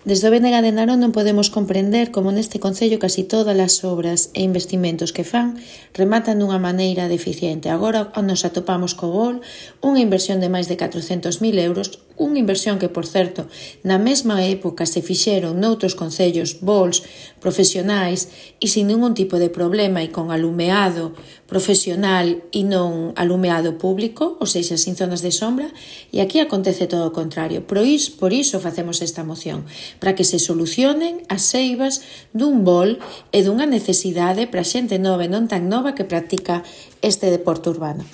Desde o BNG de Narón non podemos comprender como neste concello casi todas as obras e investimentos que fan rematan dunha maneira deficiente. Agora nos atopamos co BOL, unha inversión de máis de 400.000 euros, unha inversión que, por certo, na mesma época se fixeron noutros concellos BOLs profesionais e sin ningún tipo de problema e con alumeado profesional e non alumeado público, ou seja, sin zonas de sombra, e aquí acontece todo o contrario. Por iso facemos esta moción, para que se solucionen as eivas dun BOL e dunha necesidade para a xente nova e non tan nova que practica este deporte urbano.